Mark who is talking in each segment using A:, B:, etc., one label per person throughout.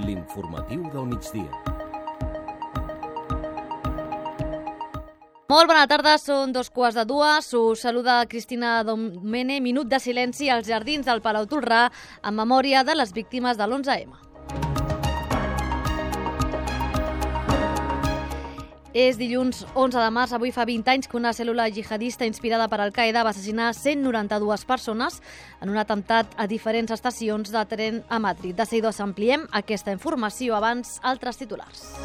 A: L'informatiu del migdia.
B: Molt bona tarda, són 2:15. Us saluda Cristina Domene. Minut de silenci als jardins del Palau Tolrà en memòria de les víctimes de l'11M. És dilluns 11 de març. Avui fa 20 anys que una cèl·lula jihadista inspirada per Al-Qaeda va assassinar 192 persones en un atemptat a diferents estacions de tren a Madrid. De seguida ampliem aquesta informació. Abans, altres titulars.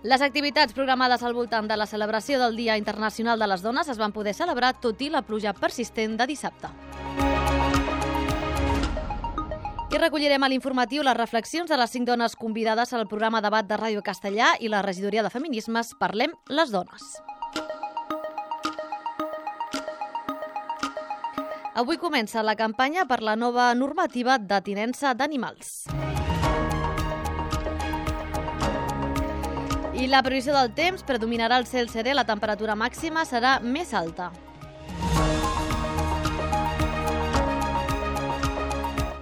B: Les activitats programades al voltant de la celebració del Dia Internacional de les Dones es van poder celebrar tot i la pluja persistent de dissabte. I recollirem a l'informatiu les reflexions de les 5 dones convidades al programa Debat de Ràdio Castellà i la regidoria de Feminismes Parlem les Dones. Avui comença la campanya per la nova normativa de tinença d'animals. I la previsió del temps: predominarà el cel serè, la temperatura màxima serà més alta.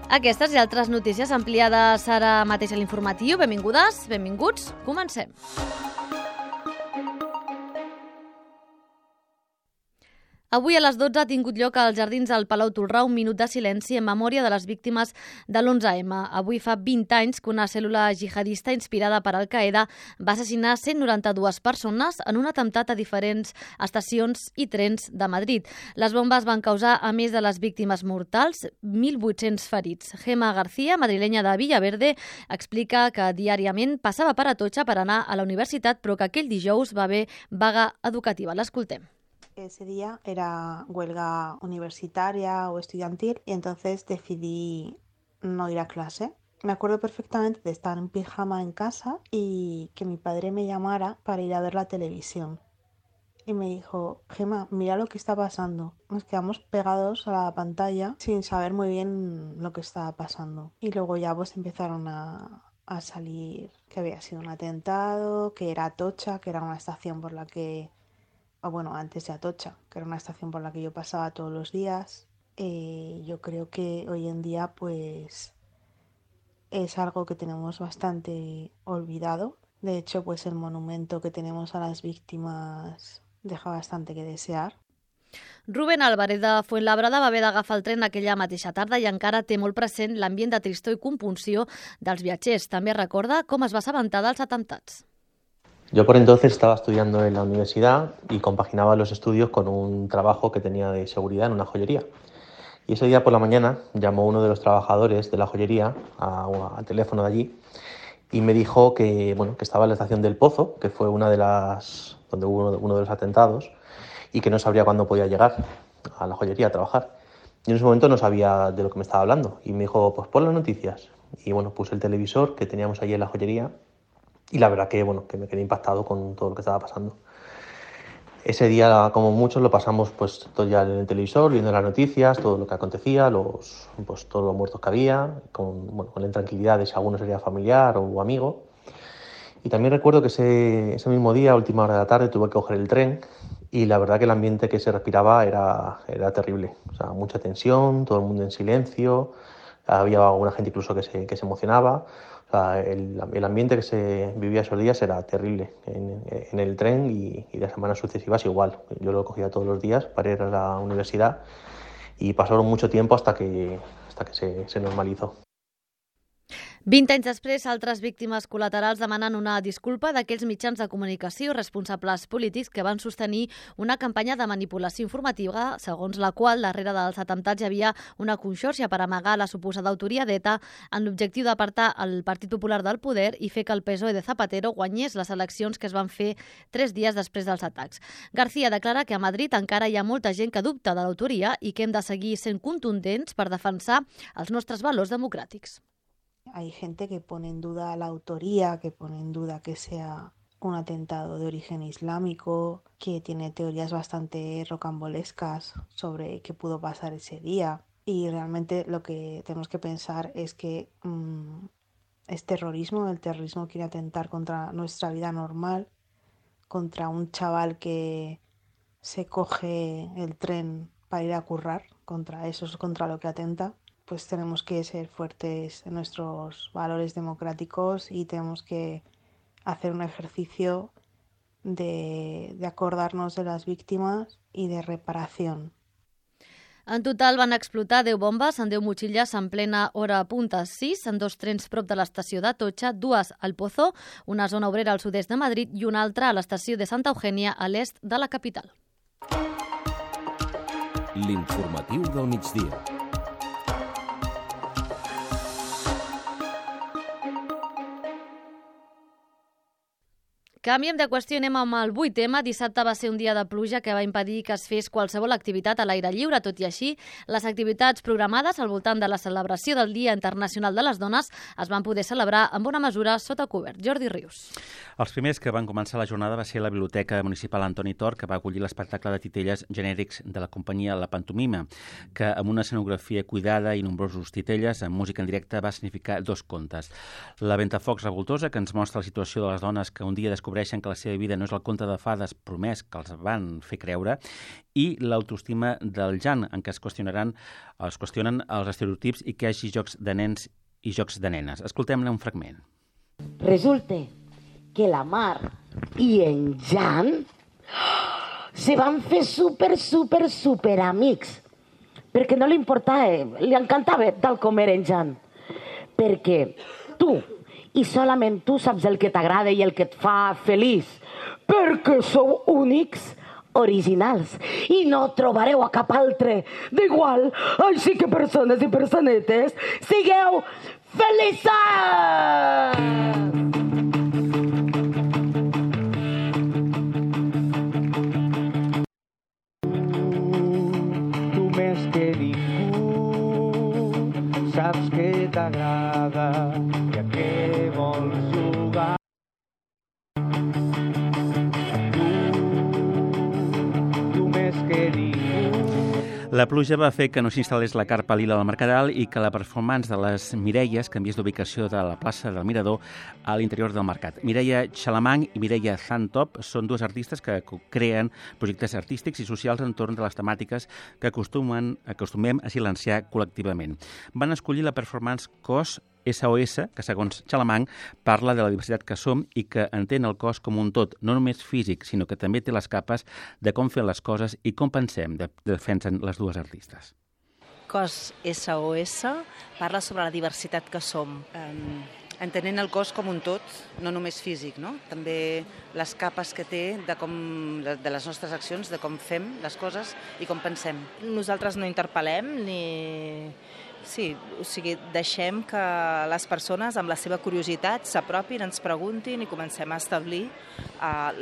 B: Aquestes i altres notícies ampliades ara mateix a l'informatiu. Benvingudes, benvinguts, comencem. Avui a les 12 ha tingut lloc als jardins del Palau Tolrà un minut de silenci en memòria de les víctimes de l'11M. Avui fa 20 anys que una cèl·lula jihadista inspirada per Al-Qaeda va assassinar 192 persones en un atemptat a diferents estacions i trens de Madrid. Les bombes van causar, a més de les víctimes mortals, 1.800 ferits. Gemma García, madrilenya de Villaverde, explica que diàriament passava per Atocha per anar a la universitat, però que aquell dijous va haver vaga educativa. L'escoltem.
C: Ese día era huelga universitaria o estudiantil y entonces decidí no ir a clase. Me acuerdo perfectamente de estar en pijama en casa y que mi padre me llamara para ir a ver la televisión. Y me dijo: Gemma, mira lo que está pasando. Nos quedamos pegados a la pantalla sin saber muy bien lo que estaba pasando. Y luego ya pues empezaron a salir que había sido un atentado, que era Atocha, que era una estación por la que... Bueno, antes de Atocha, que era una estación por la que yo pasaba todos los días. Yo creo que hoy en día pues es algo que tenemos bastante olvidado. De hecho, pues el monumento que tenemos a las víctimas deja bastante que desear.
B: Rubén Álvarez de Fuenlabrada va haver d'agafar el tren aquella mateixa tarda i encara té molt present l'ambient de tristor i compunció dels viatgers. També recorda com es va assabentar dels atemptats.
D: Yo por entonces estaba estudiando en la universidad y compaginaba los estudios con un trabajo que tenía de seguridad en una joyería. Y ese día por la mañana llamó uno de los trabajadores de la joyería al teléfono de allí y me dijo que estaba en la estación del Pozo, que fue una de las donde hubo uno de los atentados, y que no sabría cuándo podía llegar a la joyería a trabajar. Yo en ese momento no sabía de lo que me estaba hablando y me dijo: pues pon las noticias. Y puse el televisor que teníamos allí en la joyería. Y la verdad que me quedé impactado con todo lo que estaba pasando. Ese día, como muchos, lo pasamos pues todo ya en el televisor, viendo las noticias, todo lo que acontecía, todos los muertos que había, con la intranquilidad de si alguno sería familiar o amigo. Y también recuerdo que ese mismo día, a última hora de la tarde, tuve que coger el tren y la verdad que el ambiente que se respiraba era terrible. O sea, mucha tensión, todo el mundo en silencio, había alguna gente incluso que se emocionaba. O sea, el ambiente que se vivía esos días era terrible en el tren y las semanas sucesivas igual. Yo lo cogía todos los días para ir a la universidad y pasaron mucho tiempo hasta que se normalizó.
B: 20 anys després, altres víctimes col·laterals demanen una disculpa d'aquells mitjans de comunicació responsables polítics que van sostenir una campanya de manipulació informativa segons la qual darrere dels atemptats hi havia una conxorxa per amagar la suposada autoria d'ETA en l'objectiu d'apartar el Partit Popular del poder i fer que el PSOE de Zapatero guanyés les eleccions que es van fer 3 dies després dels atacs. García declara que a Madrid encara hi ha molta gent que dubta de l'autoria i que hem de seguir sent contundents per defensar els nostres valors democràtics.
C: Hay gente que pone en duda la autoría, que pone en duda que sea un atentado de origen islámico, que tiene teorías bastante rocambolescas sobre qué pudo pasar ese día. Y realmente lo que tenemos que pensar es que es terrorismo. El terrorismo quiere atentar contra nuestra vida normal, contra un chaval que se coge el tren para ir a currar contra eso, contra lo que atenta, pues tenemos que ser fuertes en nuestros valores democráticos y tenemos que hacer un ejercicio de acordarnos de las víctimas y de reparación.
B: En total van explotar 10 bombes en 10 motxilles en plena hora punta 6, en 2 trens prop de l'estació d'Atocha, 2 al Pozo, una zona obrera al sud-est de Madrid i una altra a l'estació de Santa Eugènia, a l'est de la capital.
A: L'informatiu del migdia.
B: Canviem de qüestió, anem amb el 8M. Dissabte va ser un dia de pluja que va impedir que es fes qualsevol activitat a l'aire lliure. Tot i així, les activitats programades al voltant de la celebració del Dia Internacional de les Dones es van poder celebrar amb bona mesura sota cobert. Jordi Rius.
E: Els primers que van començar la jornada va ser la Biblioteca Municipal Antoni Tor, que va acollir l'espectacle de titelles genèrics de la companyia La Pantomima, que amb una escenografia cuidada i nombrosos titelles amb música en directe va significar 2 contes. La Ventafocs revoltosa, que ens mostra la situació de les dones que un dia descobreixen que la seva vida no és el conte de fades promès que els van fer creure, i l'autoestima del Jan, en què es qüestionen els estereotips i que hi hagi jocs de nens i jocs de nenes. Escoltem-ne un fragment.
F: Resulta que la Mar i en Jan se van fer super amics, perquè no li importava, li encantava tal com era en Jan, perquè tu i solament tu saps el que t'agrada i el que et fa feliç, perquè sou únics, originals, i no trobareu a cap altre d'igual. Així que persones i personetes, sigueu feliços!
G: Tu més que ningú saps que t'agrada i a què vols jugar. Tu més que ningú.
E: La pluja va fer que no s'instal·lés la carpa lila al Mercadal i que la performance de les Mireies canviés d'ubicació de la plaça del Mirador a l'interior del mercat. Mireia Xalamang i Mireia Zantop són 2 artistes que creen projectes artístics i socials entorn de les temàtiques que acostumem a silenciar col·lectivament. Van escollir la performance Cos SOS, que segons Xalamang parla de la diversitat que som i que entén el cos com un tot, no només físic, sinó que també té les capes de com fem les coses i com pensem, defensen les 2 artistes.
H: Cos SOS parla sobre la diversitat que som, entenent el cos com un tot, no només físic, no? També les capes que té de les nostres accions, de com fem les coses i com pensem.
I: Nosaltres no interpel·lem ni... Sí, o sigui, deixem que les persones amb la seva curiositat s'apropin, ens preguntin i comencem a establir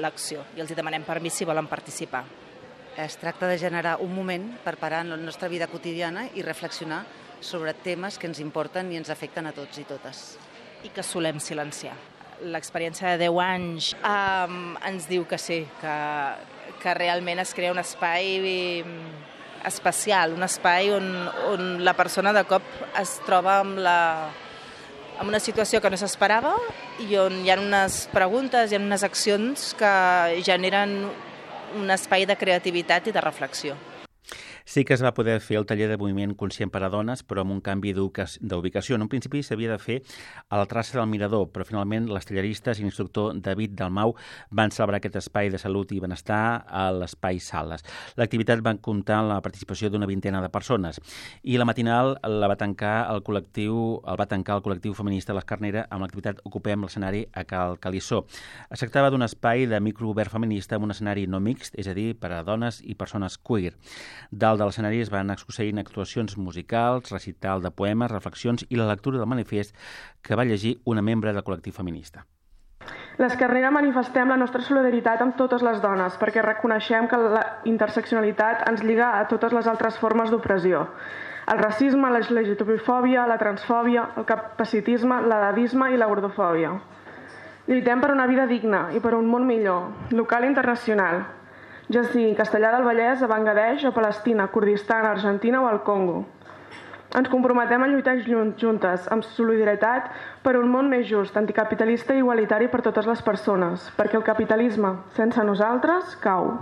I: l'acció i els demanem permís si volen participar.
H: Es tracta de generar un moment per parar en la nostra vida quotidiana i reflexionar sobre temes que ens importen i ens afecten a tots i totes.
I: I que solem silenciar. L'experiència de 10 anys ens diu que sí, que realment es crea un espai especial, un espai on la persona de cop es troba amb una situació que no s'esperava i on hi ha unes preguntes, hi ha unes accions que generen un espai de creativitat i de reflexió.
E: Sí que es va poder fer el taller de moviment conscient per a dones, però amb un canvi d'ubicació. En un principi s'havia de fer a la traça del Mirador, però finalment les talleristes i l'instructor David Dalmau van celebrar aquest espai de salut i benestar a l'espai Sales. L'activitat va comptar amb la participació d'una 20ena de persones i la matinal va tancar el col·lectiu feminista l'Escarnera amb l'activitat Ocupem l'escenari a Cal Calissó. Es tractava d'un espai de microobert feminista amb un escenari no mixt, és a dir, per a dones i persones queer. Dalt de l'escenari es van succeint actuacions musicals, recital de poemes, reflexions i la lectura del manifest que va llegir una membre del col·lectiu feminista.
J: L'Escarnera manifestem la nostra solidaritat amb totes les dones perquè reconeixem que la interseccionalitat ens lliga a totes les altres formes d'opressió. El racisme, la LGTB-fòbia, la transfòbia, el capacitisme, l'edavisme i la gordofòbia. Lluitem per una vida digna i per un món millor, local i internacional, ja sigui Castellar del Vallès, a Bangladesh o Palestina, Kurdistan, Argentina o al Congo. Ens comprometem a lluitar juntes, amb solidaritat, per un món més just, anticapitalista i igualitari per totes les persones, perquè el capitalisme, sense nosaltres, cau.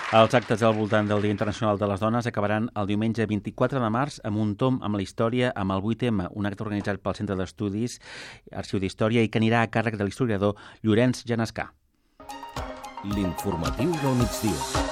E: Els actes al voltant del Dia Internacional de les Dones acabaran el diumenge 24 de març amb un tomb amb la història amb el 8M, un acte organitzat pel Centre d'Estudis Arxiu d'Història i que anirà a càrrec de l'historiador Llorenç Genescà.
A: L'informatiu del migdia.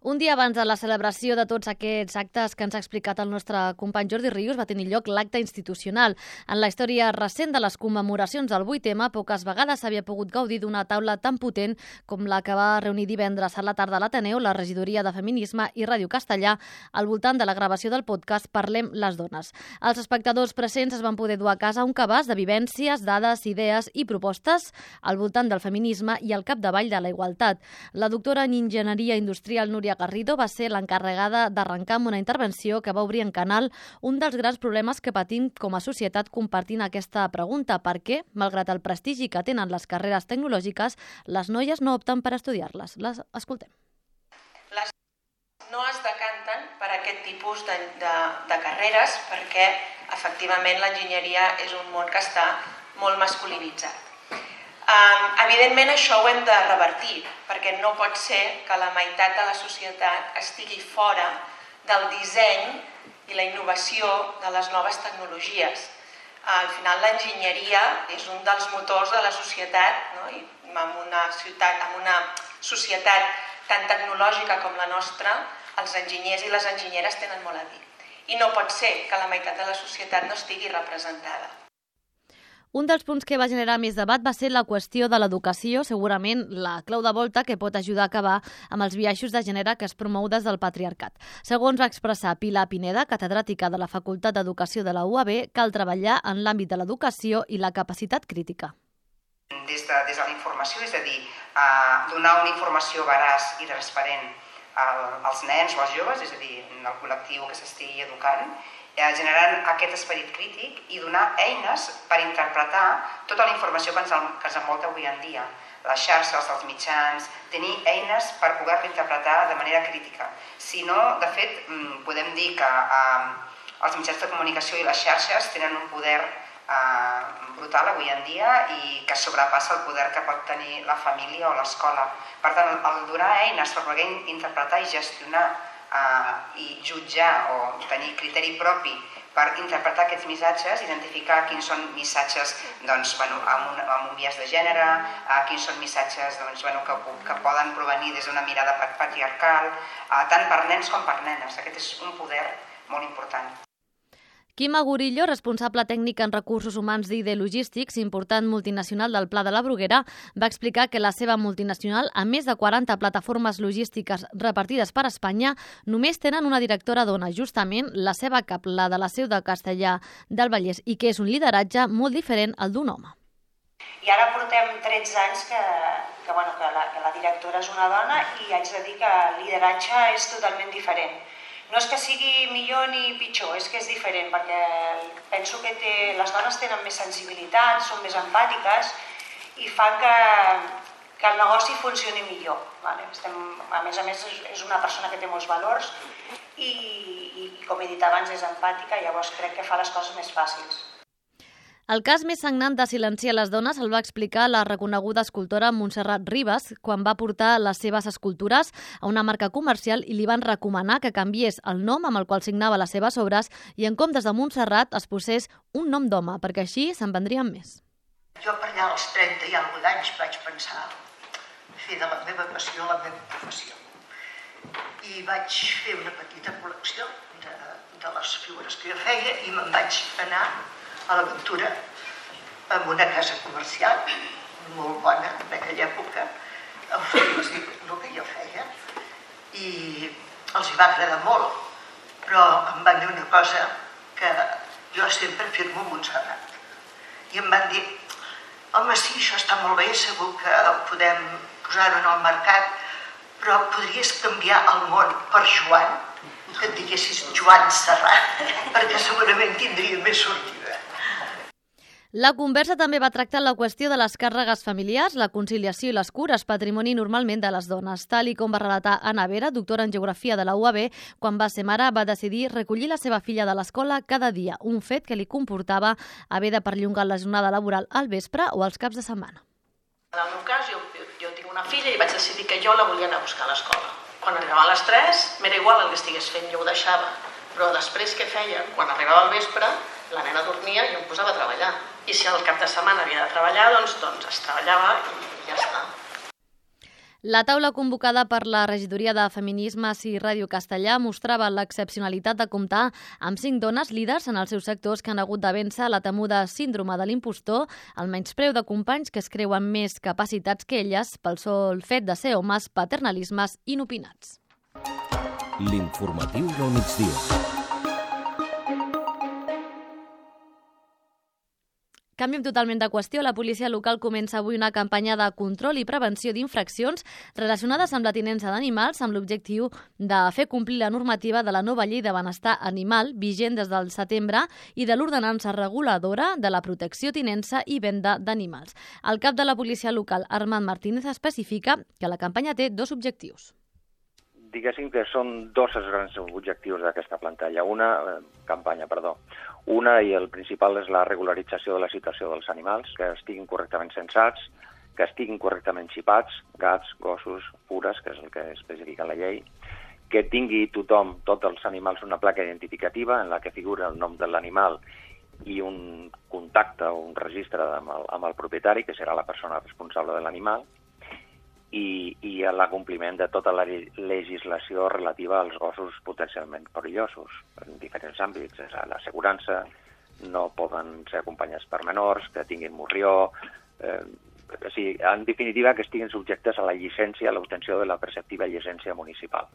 B: Un dia abans de la celebració de tots aquests actes que ens ha explicat el nostre company Jordi Rius, va tenir lloc l'acte institucional. En la història recent de les commemoracions del 8M, poques vegades s'havia pogut gaudir d'una taula tan potent com la que va reunir divendres a la tarda a l'Ateneu, la Regidoria de Feminisme i Ràdio Castellà, al voltant de la gravació del podcast Parlem les dones. Els espectadors presents es van poder dur a casa un cabàs de vivències, dades, idees i propostes al voltant del feminisme i al capdavall de la igualtat. La doctora en Enginyeria Industrial Núria Garrido va ser l'encarregada d'arrencar amb una intervenció que va obrir en canal un dels grans problemes que patim com a societat compartint aquesta pregunta: per què, malgrat el prestigi que tenen les carreres tecnològiques, les noies no opten per estudiar-les? Les escoltem.
K: Les no es decanten per aquest tipus de carreres perquè, efectivament, l'enginyeria és un món que està molt masculinitzat. Evidentment això ho hem de revertir, perquè no pot ser que la meitat de la societat estigui fora del disseny i la innovació de les noves tecnologies. Al final l'enginyeria és un dels motors de la societat, no? I en una societat tan tecnològica com la nostra, els enginyers i les enginyeres tenen molt a dir. I no pot ser que la meitat de la societat no estigui representada.
B: Un dels punts que va generar més debat va ser la qüestió de l'educació, segurament la clau de volta que pot ajudar a acabar amb els biaixos de gènere que es promou des del patriarcat. Segons va expressar Pilar Pineda, catedràtica de la Facultat d'Educació de la UAB, cal treballar en l'àmbit de l'educació i la capacitat crítica.
L: Des de la informació, és a dir, donar una informació veraç i transparent als nens o als joves, és a dir, al col·lectiu que s'estigui educant, generant aquest esperit crític i donar eines per interpretar tota la informació que ens envolta avui en dia. Les xarxes, els mitjans, tenir eines per poder-la interpretar de manera crítica. Si no, de fet, podem dir que els mitjans de comunicació i les xarxes tenen un poder brutal avui en dia i que sobrepassa el poder que pot tenir la família o l'escola. Per tant, el donar eines per poder interpretar i gestionar i jutjar o tenir criteri propi per interpretar aquests missatges, identificar quins són missatges amb un biaix de gènere, quins són missatges que poden provenir des d'una mirada patriarcal, tant per nens com per nenes. Aquest és un poder molt important.
B: Quim Agurillo, responsable tècnic en recursos humans d'ID Logístics, important multinacional del Pla de la Bruguera, va explicar que la seva multinacional, amb més de 40 plataformes logístiques repartides per Espanya, només tenen una directora dona, justament la seva cap, la de la seu de Castellà del Vallès, i que és un lideratge molt diferent al d'un home.
M: I ara portem 13 anys que la directora és una dona i haig de dir que el lideratge és totalment diferent. No és que sigui millor ni pitjor, és que és diferent, perquè penso que les dones tenen més sensibilitat, són més empàtiques i fan que el negoci funcioni millor. A més, és una persona que té molts valors i com he dit abans, és empàtica, llavors crec que fa les coses més fàcils.
B: El cas més sagnant de silenciar les dones el va explicar la reconeguda escultora Montserrat Ribas quan va portar les seves escultures a una marca comercial i li van recomanar que canviés el nom amb el qual signava les seves obres i en comptes de Montserrat es posés un nom d'home, perquè així se'n vendrien més.
N: Jo per allà als 30 i alguna d'anys vaig pensar fer de la meva passió la meva professió. I vaig fer una petita col·lecció de les figures que jo feia i me'n vaig anar a l'aventura amb una casa comercial molt bona en aquella època, a oferir-los el que jo feia i els hi va agradar molt, però em van dir una cosa que jo sempre firmo Montserrat i em van dir: home, sí, això està molt bé, segur que podem posar-ho en el mercat, però podries canviar el món per Joan, que et diguessis Joan Serrat, perquè segurament tindria més sortida.
B: La conversa també va tractar la qüestió de les càrregues familiars, la conciliació i les cures, patrimoni normalment de les dones. Tal i com va relatar Anna Vera, doctora en Geografia de la UAB, quan va ser mare va decidir recollir la seva filla de l'escola cada dia, un fet que li comportava haver de perllongar la jornada laboral al vespre o als caps de setmana.
O: En el meu cas, jo tinc una filla i vaig decidir que jo la volia anar a buscar a l'escola. Quan arribava a les 3, m'era igual el que estigués fent, jo ho deixava. Però després què feia? Quan arribava al vespre, la nena dormia i em posava a treballar. I si al cap de setmana havia de treballar, doncs es treballava i ja està.
B: La taula convocada per la Regidoria de Feminismes i Ràdio Castellà mostrava l'excepcionalitat de comptar amb 5 dones líders en els seus sectors que han hagut de vèncer la temuda síndrome de l'impostor, el menyspreu de companys que es creuen més capacitats que elles pel sol fet de ser homes paternalismes inopinats.
A: L'informatiu del migdia.
B: Canviem totalment de qüestió. La policia local comença avui una campanya de control i prevenció d'infraccions relacionades amb la tinença d'animals amb l'objectiu de fer complir la normativa de la nova llei de benestar animal vigent des del setembre i de l'ordenança reguladora de la protecció, tinença i venda d'animals. El cap de la policia local, Armand Martínez, especifica que la campanya té 2 objectius.
P: Diguéssim que són 2 els grans objectius d'aquesta campanya. Una, i el principal, és la regularització de la situació dels animals, que estiguin correctament censats, que estiguin correctament xipats, gats, gossos, fures, que és el que especifica la llei, que tingui tothom, tots els animals, una placa identificativa en la que figura el nom de l'animal i un contacte o un registre amb el propietari, que serà la persona responsable de l'animal, i l'acompliment de tota la legislació relativa als gossos potencialment perillosos en diferents àmbits. L'assegurança, no poden ser acompanyats per menors, que tinguin morrió, en definitiva que estiguin subjectes a la llicència, a l'obtenció de la preceptiva llicència municipal.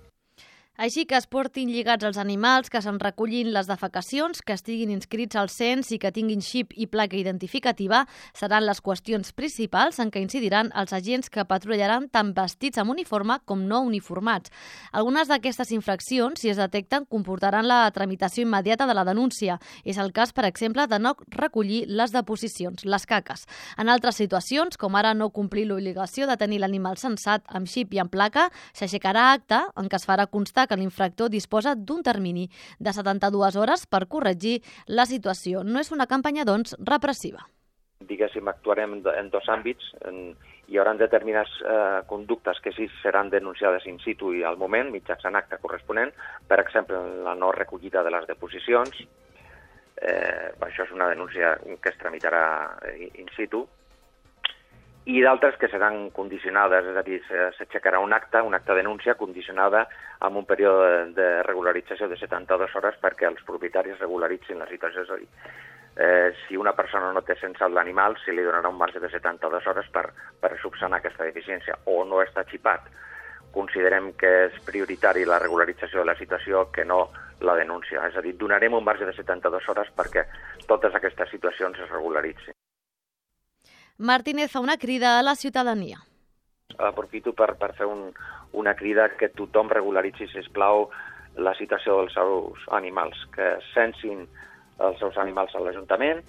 B: Així que es portin lligats els animals, que se'n recullin les defecacions, que estiguin inscrits al cens i que tinguin xip i placa identificativa seran les qüestions principals en què incidiran els agents que patrullaran tant vestits amb uniforme com no uniformats. Algunes d'aquestes infraccions, si es detecten, comportaran la tramitació immediata de la denúncia. És el cas, per exemple, de no recollir les deposicions, les caques. En altres situacions, com ara no complir l'obligació de tenir l'animal censat amb xip i amb placa, s'aixecarà acta en què es farà constar que l'infractor disposa d'un termini de 72 hores per corregir la situació. No és una campanya, doncs, repressiva.
P: Diguéssim, actuarem en 2 àmbits. Hi haurà determinades conductes que sí seran denunciades in situ i al moment, mitjançant acte corresponent, per exemple, la no recollida de les deposicions. Això és una denúncia que es tramitarà in situ. I d'altres que seran condicionades, és a dir, s'aixecarà un acte denúncia condicionada amb un període de regularització de 72 hores perquè els propietaris regularitzin la situació. És a dir, si una persona no té censat l'animal, se li donarà un marge de 72 hores per subsanar aquesta deficiència, o no està xipat. Considerem que és prioritari la regularització de la situació que no la denúncia. És a dir, donarem un marge de 72 hores perquè totes aquestes situacions es regularitzin.
B: Martínez fa una crida a la ciutadania.
P: Aprofito per fer una crida que tothom regularitzi, sisplau, la situació dels seus animals, que censin els seus animals a l'Ajuntament,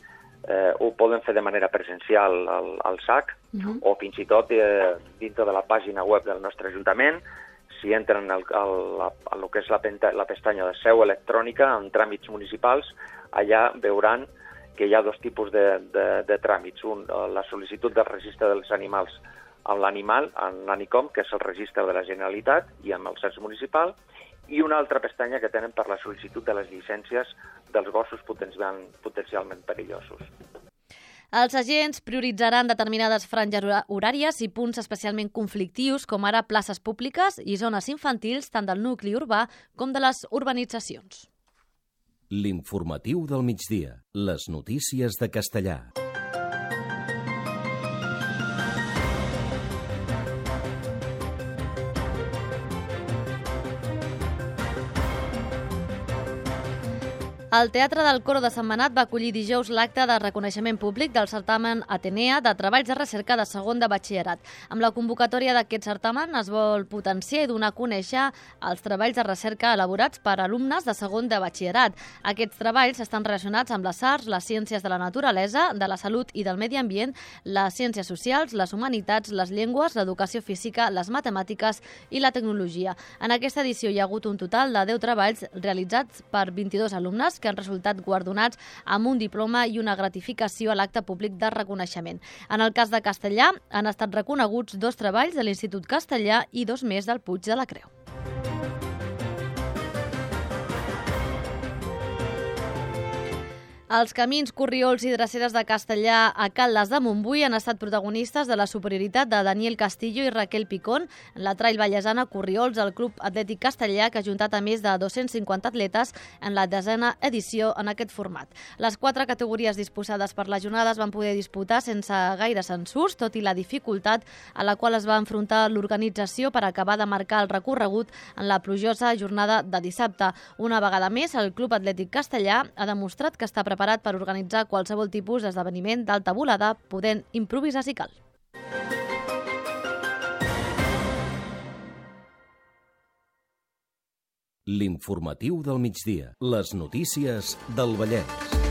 P: ho poden fer de manera presencial al SAC, o fins i tot dintre de la pàgina web del nostre Ajuntament. Si entren al que és la pestanya de seu electrònica en tràmits municipals, allà veuran que hi ha 2 tipus de tràmits. Un, la sol·licitud del registre dels animals amb l'animal, en l'ANICOM, que és el registre de la Generalitat, i amb el cens municipal, i una altra pestanya que tenen per la sol·licitud de les llicències dels gossos potencialment perillosos.
B: Els agents prioritzaran determinades franges horàries i punts especialment conflictius, com ara places públiques i zones infantils, tant del nucli urbà com de les urbanitzacions.
A: L'informatiu del migdia. Les notícies de Castellà.
B: El Teatre del Coro de Sentmenat va acollir dijous l'acte de reconeixement públic del certamen Atenea de treballs de recerca de segon de batxillerat. Amb la convocatòria d'aquest certamen es vol potenciar i donar a conèixer els treballs de recerca elaborats per alumnes de segon de batxillerat. Aquests treballs estan relacionats amb les arts, les ciències de la naturalesa, de la salut i del medi ambient, les ciències socials, les humanitats, les llengües, l'educació física, les matemàtiques i la tecnologia. En aquesta edició hi ha hagut un total de 10 treballs realitzats per 22 alumnes que han resultat guardonats amb un diploma i una gratificació a l'acte públic de reconeixement. En el cas de Castellà, han estat reconeguts 2 treballs de l'Institut Castellà i 2 més del Puig de la Creu. Els camins, corriols i dreceres de Castellà a Caldes de Montbui han estat protagonistes de la superioritat de Daniel Castillo i Raquel Picón en la trail vallesana Corriols al Club Atlètic Castellà, que ha ajuntat a més de 250 atletes en la 10a edició en aquest format. Les 4 categories disposades per les jornades van poder disputar sense gaire censurs, tot i la dificultat a la qual es va enfrontar l'organització per acabar de marcar el recorregut en la plujosa jornada de dissabte. Una vegada més, el Club Atlètic Castellà ha demostrat que està preparat per organitzar qualsevol tipus d'esdeveniment d'alta volada, podent improvisar si cal.
A: L'informatiu del migdia. Les notícies del Vallès.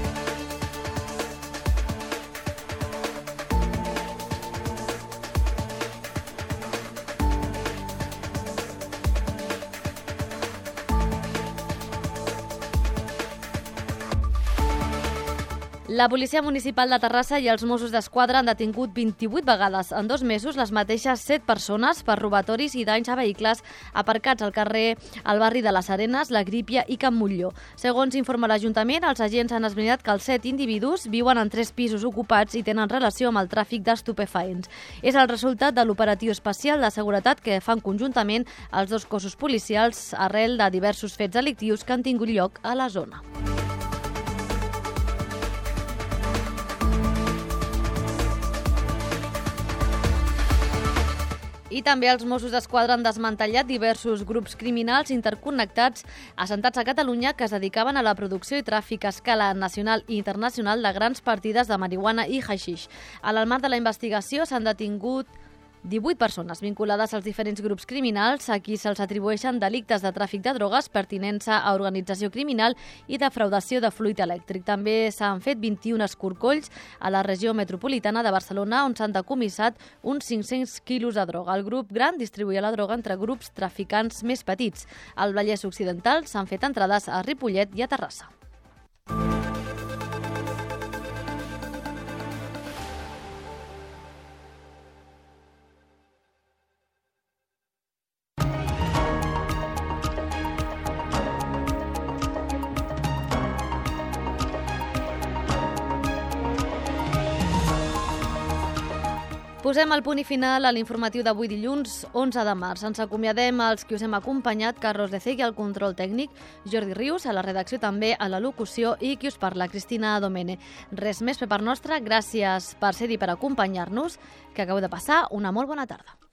B: La Policia Municipal de Terrassa i els Mossos d'Esquadra han detingut 28 vegades en 2 mesos les mateixes 7 persones per robatoris i danys a vehicles aparcats al carrer al barri de les Arenes, la Grípia i Can Montllor. Segons informa l'Ajuntament, els agents han esbrinat que els 7 individus viuen en 3 pisos ocupats i tenen relació amb el tràfic d'estupefaents. És el resultat de l'operatiu especial de seguretat que fan conjuntament els 2 cossos policials arrel de diversos fets delictius que han tingut lloc a la zona. I també els Mossos d'Esquadra han desmantellat diversos grups criminals interconnectats assentats a Catalunya que es dedicaven a la producció i tràfic a escala nacional i internacional de grans partides de marihuana i haixix. En el marc de la investigació s'han detingut 18 persones vinculades als diferents grups criminals a qui se'ls atribueixen delictes de tràfic de drogues, pertinença a organització criminal i defraudació de fluid elèctric. També s'han fet 21 escorcolls a la regió metropolitana de Barcelona, on s'han decomissat uns 500 quilos de droga. El grup gran distribuïa la droga entre grups traficants més petits. Al Vallès Occidental s'han fet entrades a Ripollet i a Terrassa. Posem el punt i final a l'informatiu d'avui dilluns 11 de març. Ens acomiadem als qui us hem acompanyat, Carlos de Cegui al control tècnic, Jordi Rius a la redacció, també a la locució, i qui us parla, Cristina Domene. Res més per part nostra, gràcies per ser-hi, per acompanyar-nos, que acabeu de passar una molt bona tarda.